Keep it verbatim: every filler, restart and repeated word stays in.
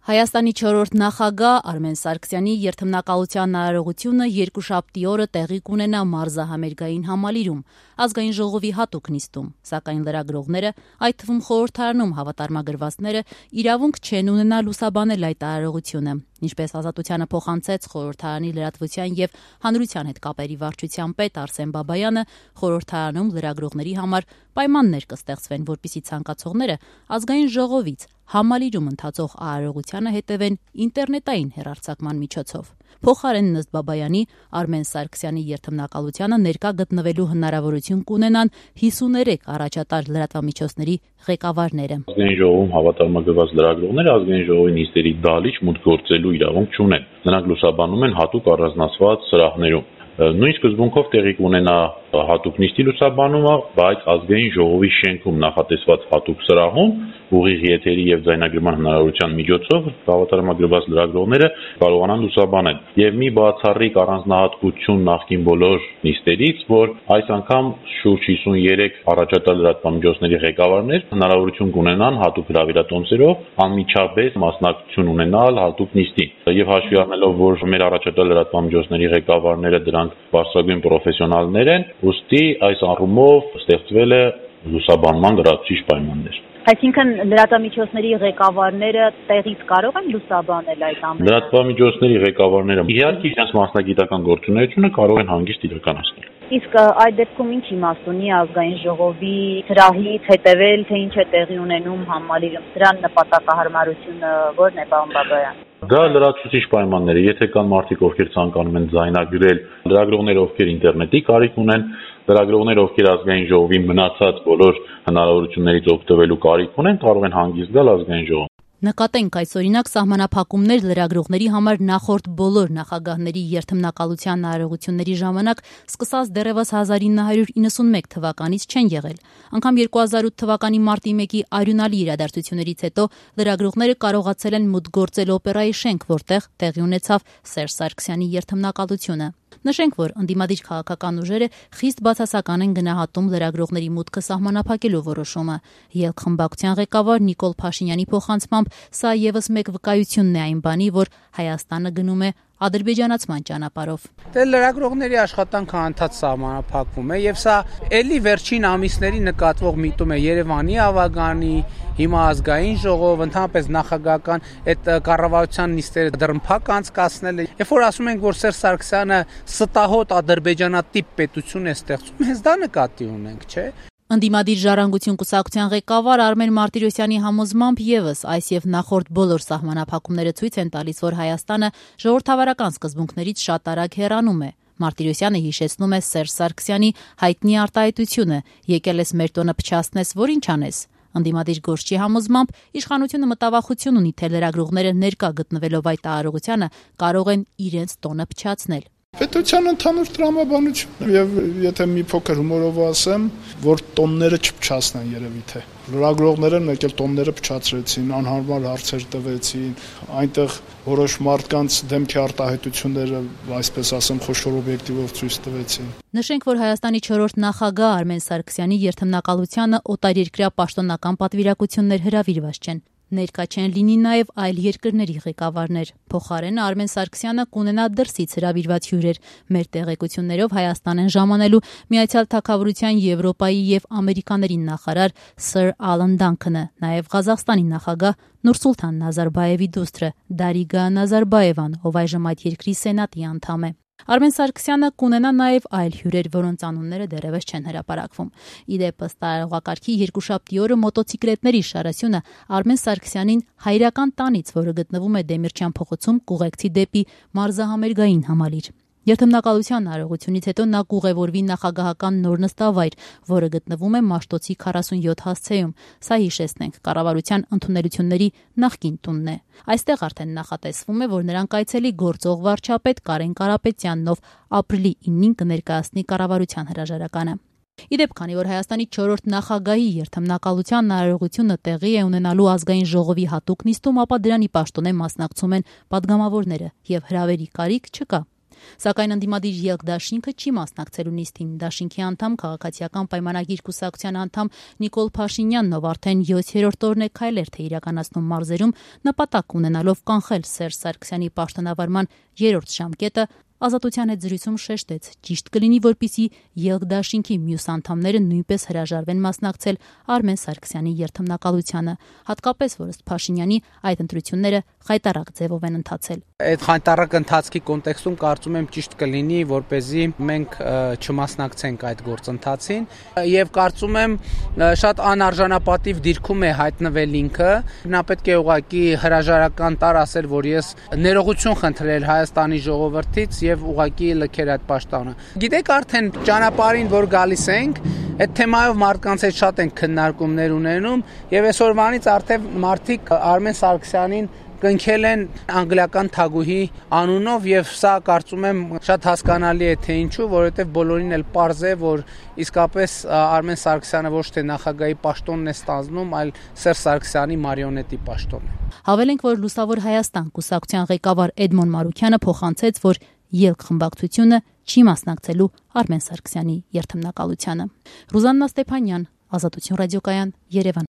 Հայաստանի չորրորդ նախագահ Արմեն Սարգսյանի երթմնակալության արարողությունը երկուշաբթի օրը տեղի կունենա մարզահամերգային համալիրում, ազգային ժողովի հատուկ նիստում, սակայն լրագրողները, այդ թվում խորհրդարանում հավատարմագրվածները, իրավունք չեն ունենա լուսաբանել այդ արարողությունը, ինչպես Ազատությանը փոխանցեց խորհրդարանի լրատվության եւ հանրության հետ կապերի վարչության պետ Արսեն Բաբայանը, խորհրդարանում լրագրողների համար պայմաններ կստեղծվեն, որպեսզի ցանկացողները ազգային ժողովից համալիրում ընթացող արարողությանը հետևեն ինտերնետային հեռարձակման միջոցով։ Փոխարենն ըստ Բաբայանի, Արմեն Սարգսյանի երթմնակալությանը ներկա գտնվելու հնարավորություն կունենան հիսուներեք առաջատար լրատվամիջոցների ղեկավարները։ Ազգային ժողովում հավատարմագրված լրագրողները ազգային ժողովի նիստերի դալիճ մուտք գործելու իրավունք չունեն։ Նրանք լուսաբանում են հատուկ առանձնացված սրահներում։ Նույն սկզբունքով տեղի կունենա հատուկ նիստի լուսաբանումը, բայց ազգային ժողովի շենքում նախատեսված հատուկ սրահում ուղիղ եթերի եւ ձայնագրման հնարավորության միջոցով հավատարմագրված լրագրողները կարողանան լուսաբանել։ Եվ մի բացառիկ առանձնահատկություն նախկին բոլոր նիստերից, որ այս անգամ շուրջ հիսունյերեք առաջատար լրատվամիջոցների ղեկավարներ հնարավորություն կունենան հատուկ հրավիրատոմսերով անմիջապես մասնակցություն ունենալ հատուկ նիստին։ Եվ հաշվի առնելով, որ մեր առաջատար լրատվամիջոցների ղեկավարները դրանք բարձրագույն պրոֆեսիոնալներ են, ուստի այս առումով ստեղծվել է լուսաբանման լրացուցիչ պայմաններ։ Այսինքն լրատվամիջոցների ղեկավարները տեղից կարող են լուսաբանել այդ ամենը։ Լրատվամիջոցների ղեկավարները իհարկե իրենց մասնագիտական գործունեությունը կարող են հանգիստ իրականացնել։ Իսկ այդ դեպքում ինչ իմաստ ունի ազգային ժողովի սրահից հետևել, թե ինչ է տեղի ունենում համալիրում, սրան նպատակահարմարությունը ո՞րն է, պարոն Բաբայան։ Դա լրացուցիչ պայմաններ է, եթե կան մարդիկ, ովքեր ցանկանում են ձայնագրել, լրագրողներ, ովքեր ինտերնետի կարիք ունեն, լրագրողներ, ովքեր ազգային ժողովի մնացած բոլոր հնարավորություններից օգտվելու կարիք ունեն, կարող են հանգիստ գալ ազգային ժողով։ Նկատենք այսօրինակ սահմանափակումներ լրագրողների համար նախորդ բոլոր նախագահների երթմնակալության արարողությունների ժամանակ սկսած դեռևս հազար ինը հարյուր իննսունմեկ թվականից չեն եղել։ Անգամ երկու հազար ութ թվականի մարտի մեկի արյունալի իրադարձություններից հետո լրագրողները կարողացել են մուտք գործել օպերայի շենք, որտեղ տեղի ունեցավ Սերժ Սարգսյանի երթմնակալությունը։ Նշենք, որ ընդդիմադիր քաղաքական ուժերը խիստ բացասական են գնահատում լրագրողների մուտքը սահմանափակելու որոշումը։ Ելք-խմբակցության ղեկավար Նիկոլ Փաշինյանի փոխանցմամբ սա եւս մեկ վկայությունն է այն բանի, որ Հայաստանը գնում է ադրբեջանացման ճանապարհով։ Դե լրագրողների աշխատանքը անդադ սահմանափակվում է եւ սա էլի վերջին ամիսների նկատվող միտում է Երևանի ավագանի, հիմա ազգային ժողով, ընդհանրապես նախագահական այդ կառավարության նիստերը դրմփակ անցկացնել է։ Երբ որ ասում ենք, որ Սերժ Սարգսյանը ստահոդ ադրբեջանատիպ պետություն է ստեղծում, հենց դա նկատի ունենք, չէ՞։ Ընդդիմադիր ժառանգություն կուսակցության ղեկավար Արմեն Մարտիրոսյանի համոզմամբ եւս այս եւ նախորդ բոլոր սահմանափակումները ցույց են տալիս, որ Հայաստանը ժողովրդավարական սկզբունքներից շատ արագ հեռանում է։ Մարտիրոսյանը հիշեցնում է Սերժ Սարգսյանի հայտնի արտահայտությունը՝ եկել ես մեր տոնը փչացնես, որ ինչ անես։ Ընդդիմադիր գործչի համոզմամբ իշխանությունը մտավախություն ունի, թե լրագրողները ներկա գտնվելով այդ արարողությանը կարող են իրենց տոնը փչացնել։ Պետության ընդհանուր տրամաբանություն եւ եթե մի փոքր հումորով ասեմ, որ տոնները չփչացնեն երևի թե լրագրողները մեկ էլ տոնները փչացրեցին, անհարմար հարցեր տվեցին, այնտեղ որոշ մարդկանց դեմքի արտահայտությունները, այսպես ասեմ, խոշոր օբյեկտիվով ցույց տվեցին։ Նշենք, որ Հայաստանի չորրորդ նախագահ Արմեն Սարգսյանի երթմնակալությանը օտարերկրյա պաշտոնական պատվիրակություններ հրավիրված չեն։ Ներկա չեն լինի նաև այլ երկրների ղեկավարներ։ Փոխարենը Արմեն Սարգսյանը կունենա դրսից հրավիրված հյուրեր։ Մեր տեղեկություններով Հայաստան են ժամանելու Միացյալ Թագավորության Եվրոպայի եւ Ամերիկաների նախարար Սըր Ալեն Դանքանը, նաև Ղազախստանի նախագահ Նուրսուլթան Նազարբաևի դուստրը Դարիգա Նազարբաևան, ով այժմ այդ երկրի սենատի անդամ է։ Արմեն Սարգսյանը կունենա նաև այլ հյուրեր, որոնց անունները դեռևս չեն հրապարակվում։ Իդեպ ըստ տարողակարգի երկուշաբթի օրը մոտոցիկլետների շարասյունը Արմեն Սարգսյանին հայրական տանից, որը գտնվում է Դեմիրճյան փողոցում, կուղեկցի դեպի մարզահամերգային համալիր։ Երթմնակալության արարողությունից հետո նա կուղևորվի նախագահական նոր նստավայր, որը գտնվում է Մաշտոցի քառասունյոթ հասցեում։ Սա հիշեցնենք, կառավարության ընդունելությունների նախկին տունն է։ Այստեղ արդեն նախատեսվում է, որ նրան կայցելի գործող վարչապետ Կարեն Կարապետյանն, ով ապրիլի իննին կներկայացնի կառավարության հրաժարականը։ Իդեպ, քանի որ Հայաստանի չորրորդ նախագահի երթմնակալության արարողությունը տեղի է ունենալու ազգային ժողովի հատուկ նիստում, ապա դրանի պաշտոնե մասնակցում են պատգամավորները եւ հրավերի կարիք չկա։ Սակայն ընդդիմադիր ԵԼԿ դաշինքը չի մասնակցելու նիստին։ Դաշինքի անդամ քաղաքացիական պայմանագիր կուսակցության անդամ Նիկոլ Փաշինյանն, ով արդեն յոթերորդ օրն է քայլեր թե իրականացնում մարզերում, նպատակ ունենալով կանխել Սերժ Սարգսյանի պաշտոնավարման երրորդ ժամկետը, Ազատության հետ զրույցում շեշտեց, ճիշտ կլինի, որպեսզի ԵԼԿ դաշինքի մյուս անդամները նույնպես հրաժարվեն մասնակցել Արմեն Սարգսյանի երթմնակալությանը, հատկապես որ ըստ Փաշինյանի այդ ընտրությունները խայտառակ ձևով են ընթացել։ Այդ խայտառակ ընթացքի կոնտեքստում կարծում եմ ճիշտ կլինի, որպեսզի մենք չմասնակցենք այդ գործընթացին, եւ կարծում եմ շատ անարժանապատիվ դիրքում է հայտնվել ինքը, նա պետք է ուղղակի հրաժարական տար ասել, որ ես ներողություն խնդրել Հայաստանի ժողովրդից եւ ուղղակի լքեր այդ պաշտոնը։ Գիտեք, արդեն ճանապարհին որ գալիս ենք, այդ թեմայով մարդկանց հետ շատ են քննարկումներ ունենում եւ այսօրվանից արդեն մարդիկ Արմեն Սարգսյանին կնքել են անգլիական թագուհի անունով եւ սա կարծում եմ շատ հասկանալի է թե ինչու, որովհետեւ բոլորին էլ պարզ է, որ իսկապես Արմեն Սարգսյանը ոչ թե նախագահի պաշտոնն է ստանձնում, այլ Սերժ Սարգսյանի մարիոնետի պաշտոնն է։ Հավելենք, որ Լուսավոր Հայաստան կուսակցության ղեկավար Էդմոն Մարուքյանը փոխանցեց, որ ԵԼԿ խմբակցությունը չի մասնակցելու Արմեն Սարգսյանի երթմնակալությանը։ Ռուզաննա Ստեփանյան, Ազատություն ռադիոկայան, Երևան։